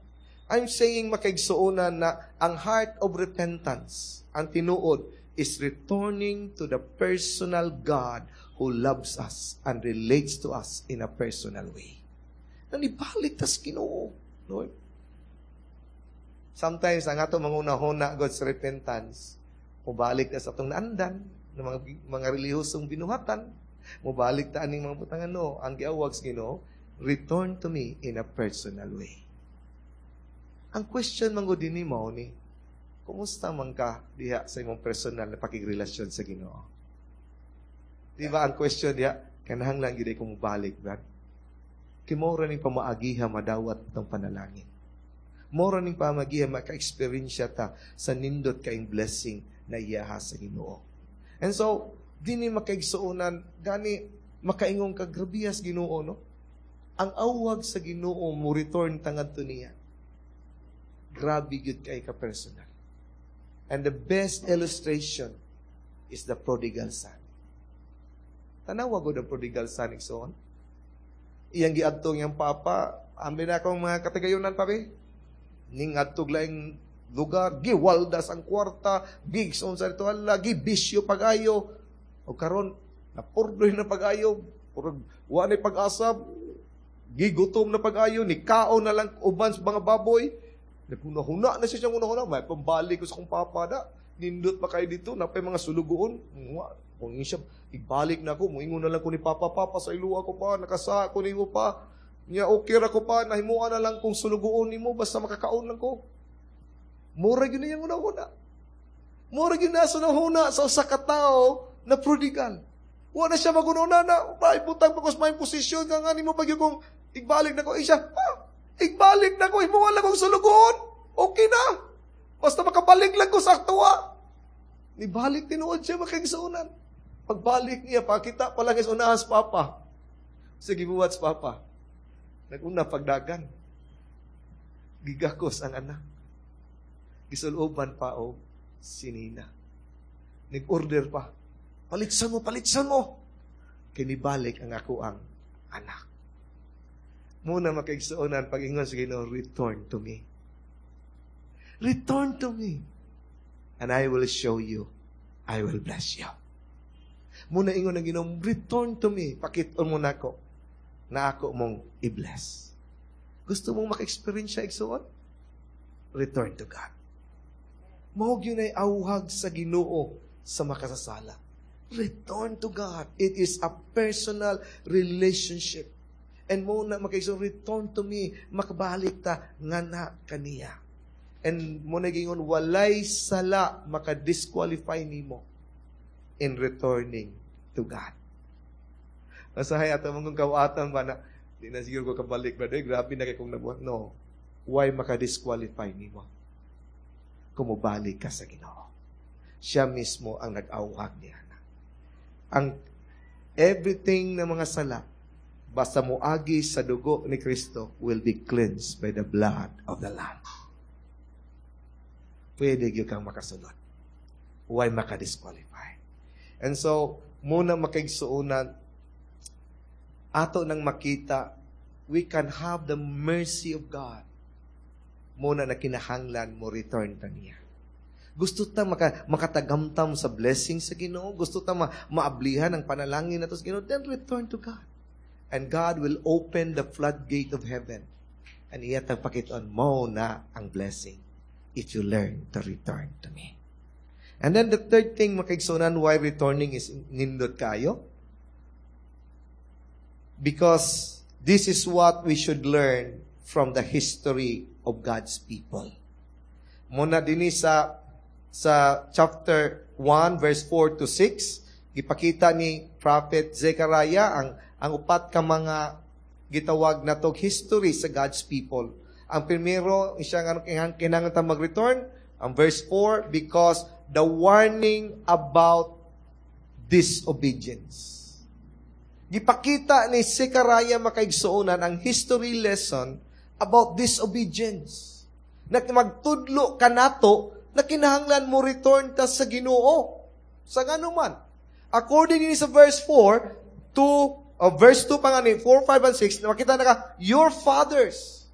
I'm saying makaigsuonan na ang heart of repentance, ang tinuod, is returning to the personal God who loves us and relates to us in a personal way. Nanibalik tas Ginoo, Lord. Sometimes ang ato manguna-huna God's repentance, mubalik ta sa atong naandan, ng mga mga relihiyosong binuhatan, mubalik ta aning mga butangan no, ang giawhag sa Ginoo, return to me in a personal way. Ang question man gud dinhi mao ni, kumusta man ka diha sa imong personal na pakigrelasyon sa Ginoo? Di ba ang question diha, kanahanglan gyud ko mobalik, Brad. Kay mao ra ning pamaagiha madawat itong panalangin. Mao ra ning pamaagiha maka-experience ta sa nindot kaing blessing na iyaha sa Ginoo. And so, dinhi makaigsuonan, gani makaingong ka grabiyas Ginoo, no? Ang awag sa Ginoo mo return tangadto niya. Grabe gyud kay ka personal. And the best illustration is the prodigal son. Tanawa gud ang prodigal son igsoon. Iyang giadto iyang papa, abi na akong mga katigayunan papi. Ning adtog laing lugar, giwaldas ang kwarta, gigson sa ito, ala, gibisyo pag-ayo. O karon napurdoy na pag-ayo, purog wa ni pag-asa, gigutom na pag-ayo, ni kaon na lang uban sa mga baboy. Naghuna-huna na siya siyang huna-huna, may pambalik ko sa kong papa da. Nindot pa kayo dito, napay mga sulugoon. Kung siya, ibalik na ako, muingon na lang ko ni papa, papa, sa iluwa ko pa, nakasa ko nimo pa. Nya okay ra ko pa, nahimuan na lang kung sulugoon nimo, basta makakaon lang ko. Mura gyud niyang huna-huna. Mura gyud na sa huna sa usa ka tawo na prodigal. Wa na siya magununa na, ibutang pa ko sa may posisyon nga nga nimo pag kung igbalik na ko. Eh siya, ah, igbalik na ko, himuan lang kong sulugoon. Okay na. Basta makabalik lang ko sa aktuwa. Nibalik tinuod siya makaigsuonan. Pagbalik niya, pakita pa lang is unahan sa papa. Sige, buhat sa papa. Naguna pagdagan. Gigakos ang anak. Gisuloban pa o sinina. Nag-order pa. Palitsan mo, palitsan mo. Kinibalik ang ako ang anak. Muna makaigsuonan pag ingon sa Ginoo, return to me. Return to me. And I will show you, I will bless you. Muna ingon ang Ginoo, return to me. Pakit-on mo nako na ako mong i-bless. Gusto mong maka-experience siya, igsuon? Return to God. Mao gyud ay awhag sa Ginoo sa makasasala. Return to God. It is a personal relationship. And mo na makaigsoon, return to me, makabalik ta nga na kaniya. And mo na gingon, walay sala makadisqualify nimo in returning to God. Masahay ato mong kung kawatan ba na, di na siguro ko kabalik, brother, grabe na kay kong nabuhat. No. Why makadisqualify nimo? Kumubalik ka sa Ginoo. Siya mismo ang nag-awhag niya. Ang everything na mga sala, basta moagi sa dugo ni Kristo, will be cleansed by the blood of the Lamb. Pwede gyud kang makasulod. Why makadisqualify? And so, muna makaigsuonan, ato nang makita, we can have the mercy of God. Muna na kinahanglan mo return ta niya. Gusto ta maka, makatagamtam sa blessing sa Ginoo, gusto ta ma, maablihan ang panalangin nato sa Ginoo, then return to God. And God will open the floodgate of heaven. And iya tang pakiton mo na ang blessing if you learn to return to me. And then the third thing makaigsunan why returning is nindot kayo. Because this is what we should learn from the history of God's people. Muna dinhi sa sa chapter one verse four to six gipakita ni Prophet Zechariah ang ang upat ka mga gitawag natog history sa God's people. Ang primero, siya nga kinahanglan ta mag-return, ang verse four, because the warning about disobedience. Gipakita ni Zechariah makaigsuonan ang history lesson about disobedience. Na magtudlo kanato na kinahanglan mo return ta sa Ginoo. Sa ngano man. According ni sa verse four to uh, verse two pa nga ni four, five, and six, makita na ka, your fathers.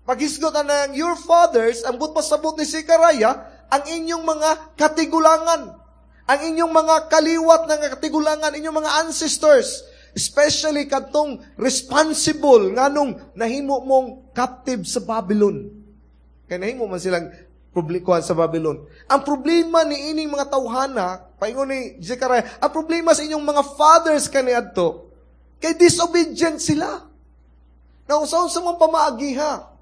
Paghisgot na ng your fathers, ang buot pasabot ni Zechariah, ang inyong mga katigulangan, ang inyong mga kaliwat ng katigulangan, inyong mga ancestors, especially kadtong responsible nganong nahimo mong captive sa Babylon. Kaya nahimo man silang publikuhan sa Babylon. Ang problema ni ining mga tawhana, paingon ni Zechariah, ang problema sa inyong mga fathers kaniadto, kay disobedient sila. Now, sa sa mga pamaagiha.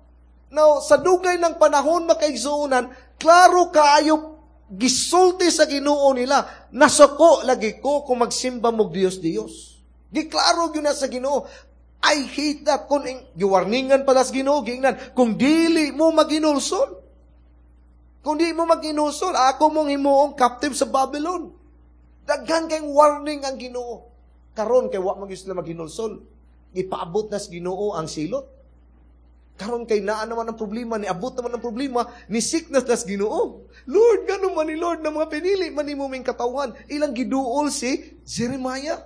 Now, sa dugay ng panahon makaigsuonan, klaro kaayo gisulti sa Ginoo nila, nasuko lagi ko kung magsimba mo Dios Dios. Giklaro gyud na sa Ginoo. I hate that. Kung giwarningan pala sa Ginoo, giingnan, kung dili mo maginulsol. Kung di mo maginulsol, ako mong himuong captive sa Babylon. Daghan kay warning ang Ginoo. Karon kay wa man gyud sila maghinulsol. Ipaabot na sa Ginoo ang silot. Karon kay naa naman ang problema, niabot naman ang problema, ni sickness na sa Ginoo. Lord, gano man ni Lord na mga pinili man nimo ming katawhan. Ilang giduol si Jeremiah.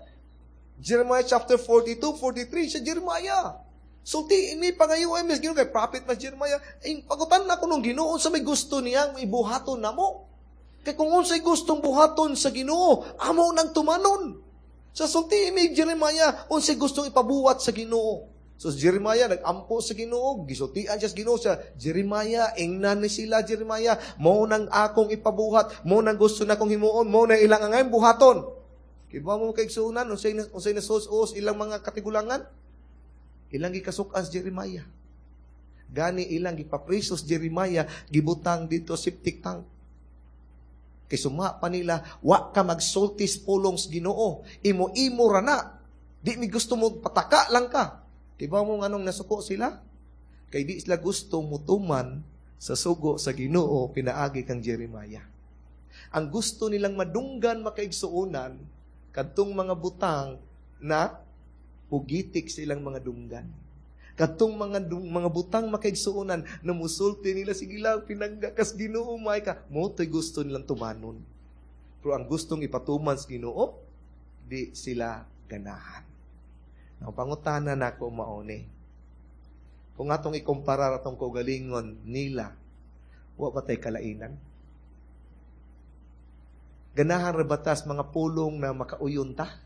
Jeremiah chapter forty-two, forty-three, sa Jeremiah. Sulti ini pangayo ay mas Ginoo kay prophet mas Jeremiah, ay pagutan na ko nung Ginoo sa may gusto niyang ibuhaton namo. Kay kung unsay gustong buhaton sa Ginoo, amo nang tumanon. Sa sulti ini Jeremiah, unsay gustong ipabuhat sa Ginoo. So Jeremiah nagampo sa Ginoo, gisultian siya sa Ginoo sa Jeremiah, ingnan ni sila Jeremiah, mo nang akong ipabuhat, mo nang gusto na kong himuon, mo nang ilang angay buhaton. Kibaw mo kaigsuonan unsay unsay nasus-us ilang mga katigulangan? Ilang gikasuk-an si Jeremiah. Gani ilang gipapriso si Jeremiah, gibutang dito septic tank. Kay suma pa nila, wa ka magsulti sa pulong sa Ginoo, imo-imo ra na. Di mi gusto mo pataka lang ka. Kibaw mo nganong nasuko sila? Kay di sila gusto mutuman sa sugo sa Ginoo pinaagi kang Jeremiah. Ang gusto nilang madunggan makaigsuonan kadtong mga butang na pugitik silang mga dunggan. Kadtong mga mga butang makaigsuonan na musulti nila, sige lang, pinangga kas Ginoo may ka. Mo to'y gusto nilang tumanon. Pero ang gustong ipatuman sa Ginoo, di sila ganahan. Ang pangutana nako mauni. Kung atong ikumpara atong kaugalingon nila, wa ba tay kalainan? Ganahan ra batas mga pulong na makauyon ta?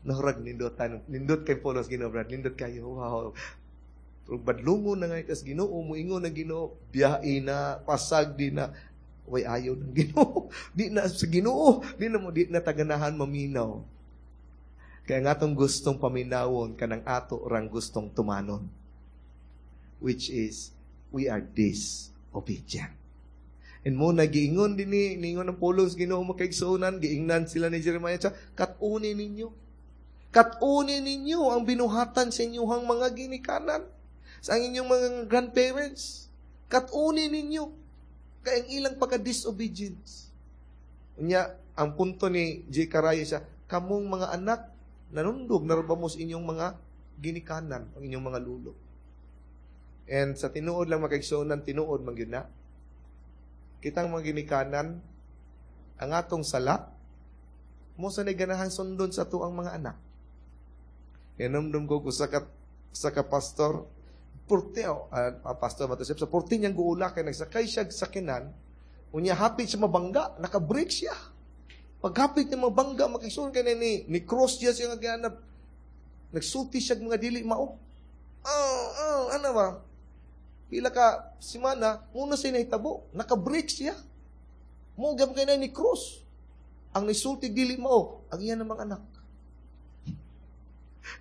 Nahurag nindot tan, nindot kay pulong sa Ginoo, brad, nindot kayo. Wow. Pero badlungon na nga kas Ginoo, muingon na Ginoo, biyahe na, pasag di na, way ayaw ng Ginoo. Di na sa Ginoo, di na mo di na taganahan maminaw. Kaya nga atong gustong paminawon kanang ato rang gustong tumanon. Which is, we are disobedient. And mo nagiingon din ni, niingon ang pulong sa Ginoo makaigsuonan, giingnan sila ni Jeremiah, siya, kat-uni ninyo. Kat-uni ninyo ang binuhatan sa inyong mga ginikanan, sa inyong mga grandparents. Kat-uni ninyo. Kaya ang ilang pagka-disobedience. Unya, ang punto ni Zechariah siya, kamong mga anak, nanundog na ba mo sa inyong mga ginikanan, ang inyong mga lulo. And sa tinuod lang makaigsuonan, tinuod man gyud na. Kitang mga ginikanan, ang atong sala, mo sa ganahan sundon sa tuang mga anak. Kinumdum ko sa ka, sa ka pastor, purte, oh, uh, pastor Matusip, sa purte niyang guula, kay nagsakay siya sa sakinan, unya hapit siya mabangga, naka-brake siya. Paghapit niya mabangga, makisuon kay ni, ni cross siya siya nga gianap, nagsulti siya mga dili mao. Oh, oh, ano ba? Pila ka simana, muna siya nahitabo, naka-brake siya. Mo gam kay ni cross. Ang nisulti dili mao, ang iya namang anak.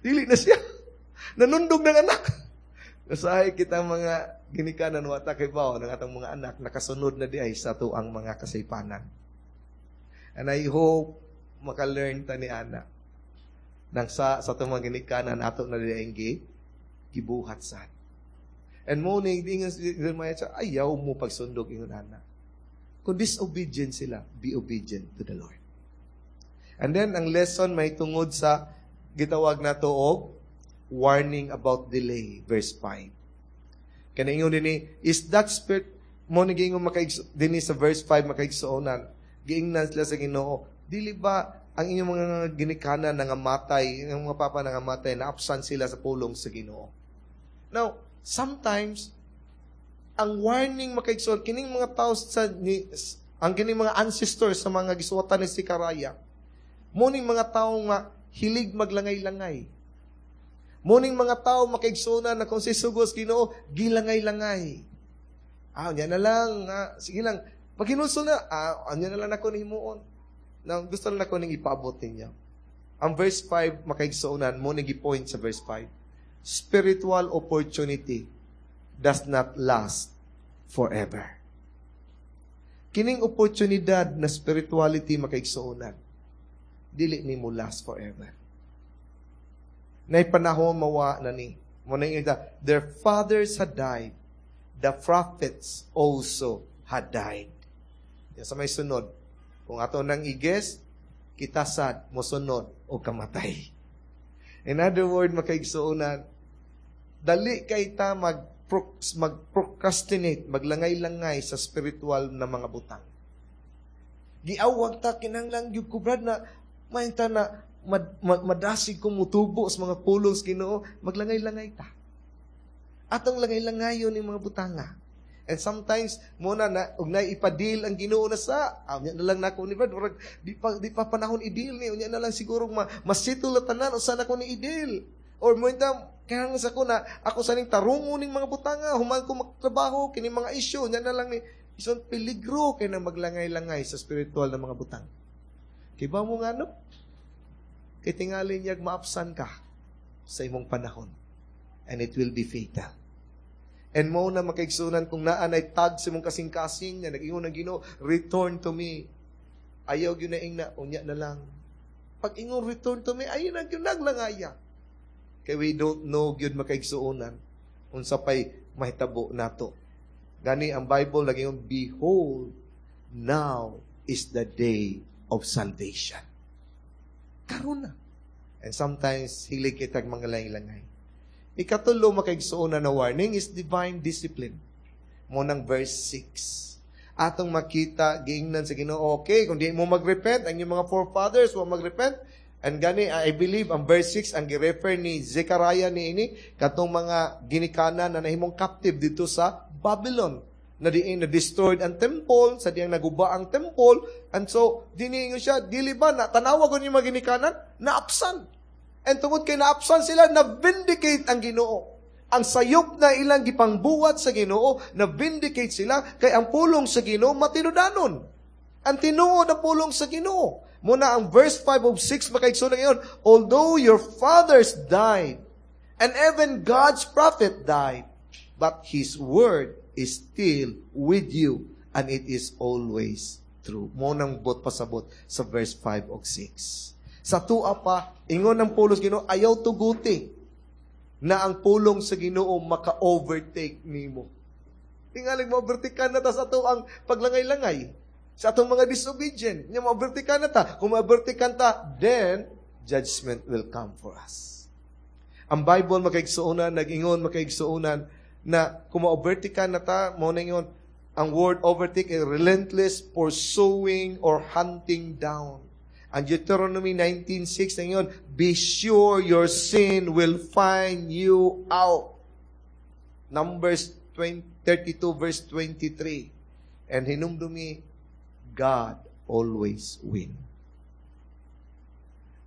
Dili na siya. Nanundog ng anak. Nasahay kita mga ginikanan wata kay bao ng atong mga anak nakasunod na di ay sa tuang mga kasaypanan. And I hope maka-learn ta ni ana. Nang sa sa atong mga ginikanan ato na di ay gibuhat sad. And morning, ingon si Jeremiah, ayaw mo pagsundog ingon ana. Kung disobedient sila, be obedient to the Lord. And then, ang lesson may tungod sa gitawag na to og warning about delay, verse five. Kaya ingon din ni, is that spirit, mo ni giingon makaigso, din sa verse five makaigsuonan, giingnan sila sa Ginoo, dili ba ang inyong mga ginikanan nangamatay, ang mga papa nangamatay, naapsan sila sa pulong sa Ginoo. Now, sometimes, ang warning makaigsoon, kining mga tao sa, ni, ang kining mga ancestors sa mga gisuwatan ni Zechariah, muning mga tao nga hilig maglangay-langay. Muning mga tao makaigsuonan na kung si sugos Ginoo, gilangay-langay. Ah, nya na lang, ah, sige lang. Pag hinulsol na, ah, anya na lang ako nihimuon. Now, gusto lang ako ning ipaabot ninyo. Ang verse five, makaigsuonan, mo ning gi-point sa verse five. Spiritual opportunity does not last forever. Kining oportunidad na spirituality makaigsuonan, dili ni mo last forever. Nay panahon mawa na ni. Mo na yung their fathers had died, the prophets also had died. Yan sa may sunod. Kung ato nang i-guess, kita sad mosunod o kamatay. In other words, makaigsuonan, dali kay ta mag mag-procrastinate, maglangay-langay sa spiritual na mga butang. Giawag ta kinahanglan gyud ko brad na mahinta na mad, mad, madasig ko mutubo sa mga pulong sa Ginoo, maglangay-langay ta. Atong langay-langayon ni mga butanga. And sometimes muna na og nay ipa-deal ang Ginoo na sa ah, unya na lang nako ni Brad, murag di pa di pa panahon i-deal ni, unya na lang siguro ma masettle na tanan usa na ko ni i-deal or mo kaya sa ko na ako sa ning tarungon ning mga butanga human ko magtrabaho kini mga issue, unya na lang ni. Ison peligro kay na maglangay-langay sa spiritual na mga butang. Kay ba mo nga no, kay tingali niyag maapsan ka sa imong panahon and it will be fatal. And mo na, makaigsunan, kung naa nay tag sa imong kasing-kasing nga nag-ingon ang Ginoo, "Return to me." Ayaw gyud na ingna, "Unya na lang." Pag ingon, "Return to me," ayaw na gyud naglangaya. Kay we don't know gyud, makaigsuonan, unsa pay mahitabo nato. Gani ang Bible nag-ingon, "Behold, now is the day of salvation." Karon na. And sometimes, hilig kitag mga langay. Ikatulo, makaigsuonan, na warning is divine discipline. Mo nang verse six. Atong makita, giingnan sa Ginoo, okay, kung di mo magrepent, ang inyong mga forefathers wa magrepent, and gani, I believe, ang verse six, ang girefer ni Zechariah ni ini, katong mga ginikanan na nahimong captive dito sa Babylon na diin na destroyed ang temple, sa diyang naguba ang temple, and so, diniingon siya, dili ba, na, tanawa ko yung mga ginikanan, naapsan. And tungod kay naapsan sila, na-vindicate ang Ginoo. Ang sayop na ilang gipangbuhat sa Ginoo, na-vindicate sila, kay ang pulong sa Ginoo matinudanon. Ang tinuod ang pulong sa Ginoo. Muna ang verse five of six, makaigsoon ngayon, "Although your fathers died, and even God's prophet died, but His word is still with you, and it is always true." Mo nang bot pasabot sa verse five of six. Sa tua pa, ingon ng pulong sa Ginoo, ayaw tuguti na ang pulong sa Ginoo maka-overtake nimo. Tingalig mo overtake na ta sa ato ang paglangay-langay. Sa atong mga disobedient. Nya mo-overtake na ta. Kung ma-overtake ta, then judgment will come for us. Ang Bible, makaigsuonan, nag-ingon, makaigsuonan, na kung ma-overtake na ta, mo na ingon, ang word overtake is relentless pursuing or hunting down. Ang Deuteronomy nineteen six na yun, "Be sure your sin will find you out." Numbers twenty, thirty-two verse twenty-three. And hinumdumi, God always win.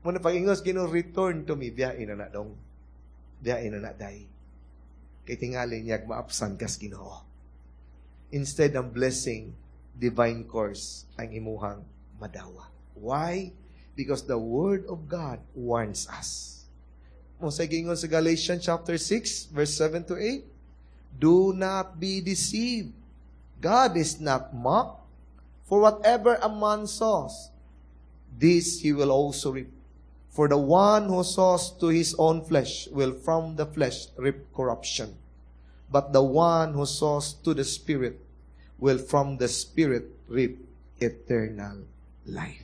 Muna pag ingos Ginoo, "Return to me," biyain na na dong. Biyain na na day. Kay tingali niya maapsan kas Ginoo. Instead ang blessing, divine curse ang imuhang madawa. Why? Because the Word of God warns us. Mo sa gingon sa Galatians chapter six, verse seven to eight, "Do not be deceived. God is not mocked. For whatever a man sows, this he will also reap. For the one who sows to his own flesh will from the flesh reap corruption. But the one who sows to the Spirit will from the Spirit reap eternal life."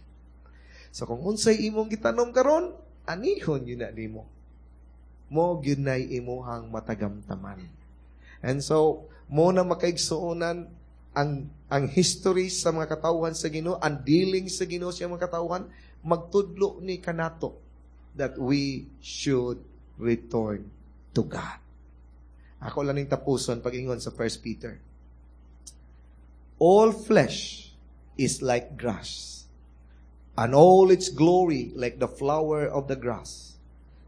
So kung unsay imong gitanom karon, anihon yun na nimo. Mo gyud nay imuhang matagamtaman. And so, mo na, makaigsuonan, ang ang history sa mga katawhan sa Ginoo, ang dealing sa Ginoo sa mga katawhan, magtudlo ni kanato that we should return to God. Ako lang ning tapuson pag-ingon sa First Peter. "All flesh is like grass, and all its glory like the flower of the grass.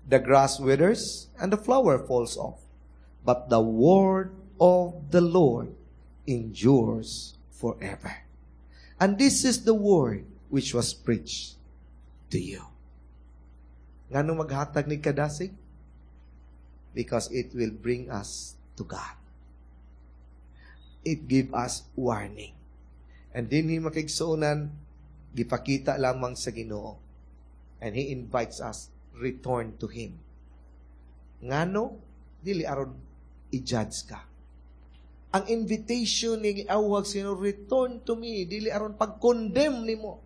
The grass withers and the flower falls off, but the word of the Lord endures forever. And this is the word which was preached to you." Ngano maghatag ni kadasig? Because it will bring us to God. It give us warning. And dinhi, makaigsuonan, gipakita lamang sa Ginoo. And He invites us, return to Him. Ngano? Dili aron i-judge ka. Ang invitation ni awag sino, "Return to me," dili aron pag-condemn nimo,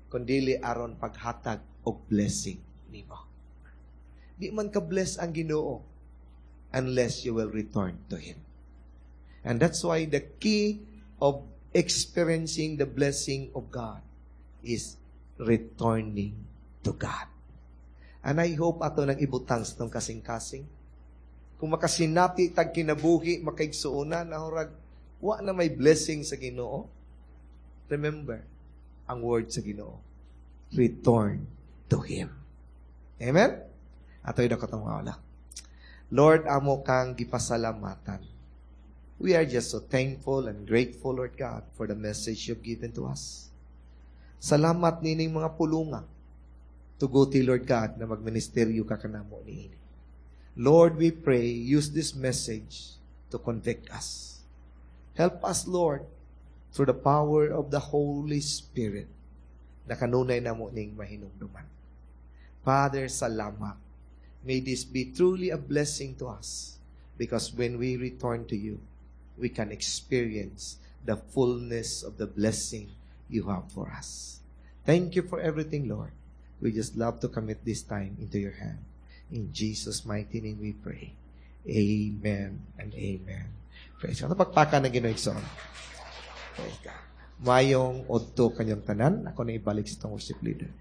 kundili aron paghatag og blessing nimo. Di man ka bless ang Ginoo unless you will return to Him. And that's why the key of experiencing the blessing of God is returning to to God. And I hope ato nang ibutang sa atong kasing-kasing. Kung makasinati tag kinabuhi, makaigsuonan, ahurag, wa na may blessing sa Ginoo. Remember, ang word sa Ginoo. Return to Him. Amen? Ato idako atong mga Lord, amo kang gipasalamatan. We are just so thankful and grateful, Lord God, for the message you've given to us. Salamat nining mga pulunga. Tuguti, Lord God, na magministeryo ka kanamo niini. Lord, we pray, use this message to convict us. Help us, Lord, through the power of the Holy Spirit, na kanunay namo ning mahinumduman. Father, salamat. May this be truly a blessing to us because when we return to you, we can experience the fullness of the blessing you have for us. Thank you for everything, Lord. We just love to commit this time into your hand. In Jesus' mighty name we pray. Amen and amen. Praise God. Pagpaka ng Ginoo igsoon. Praise God. Mayong udto kanyang tanan. Ako na ibalik sa itong worship leader.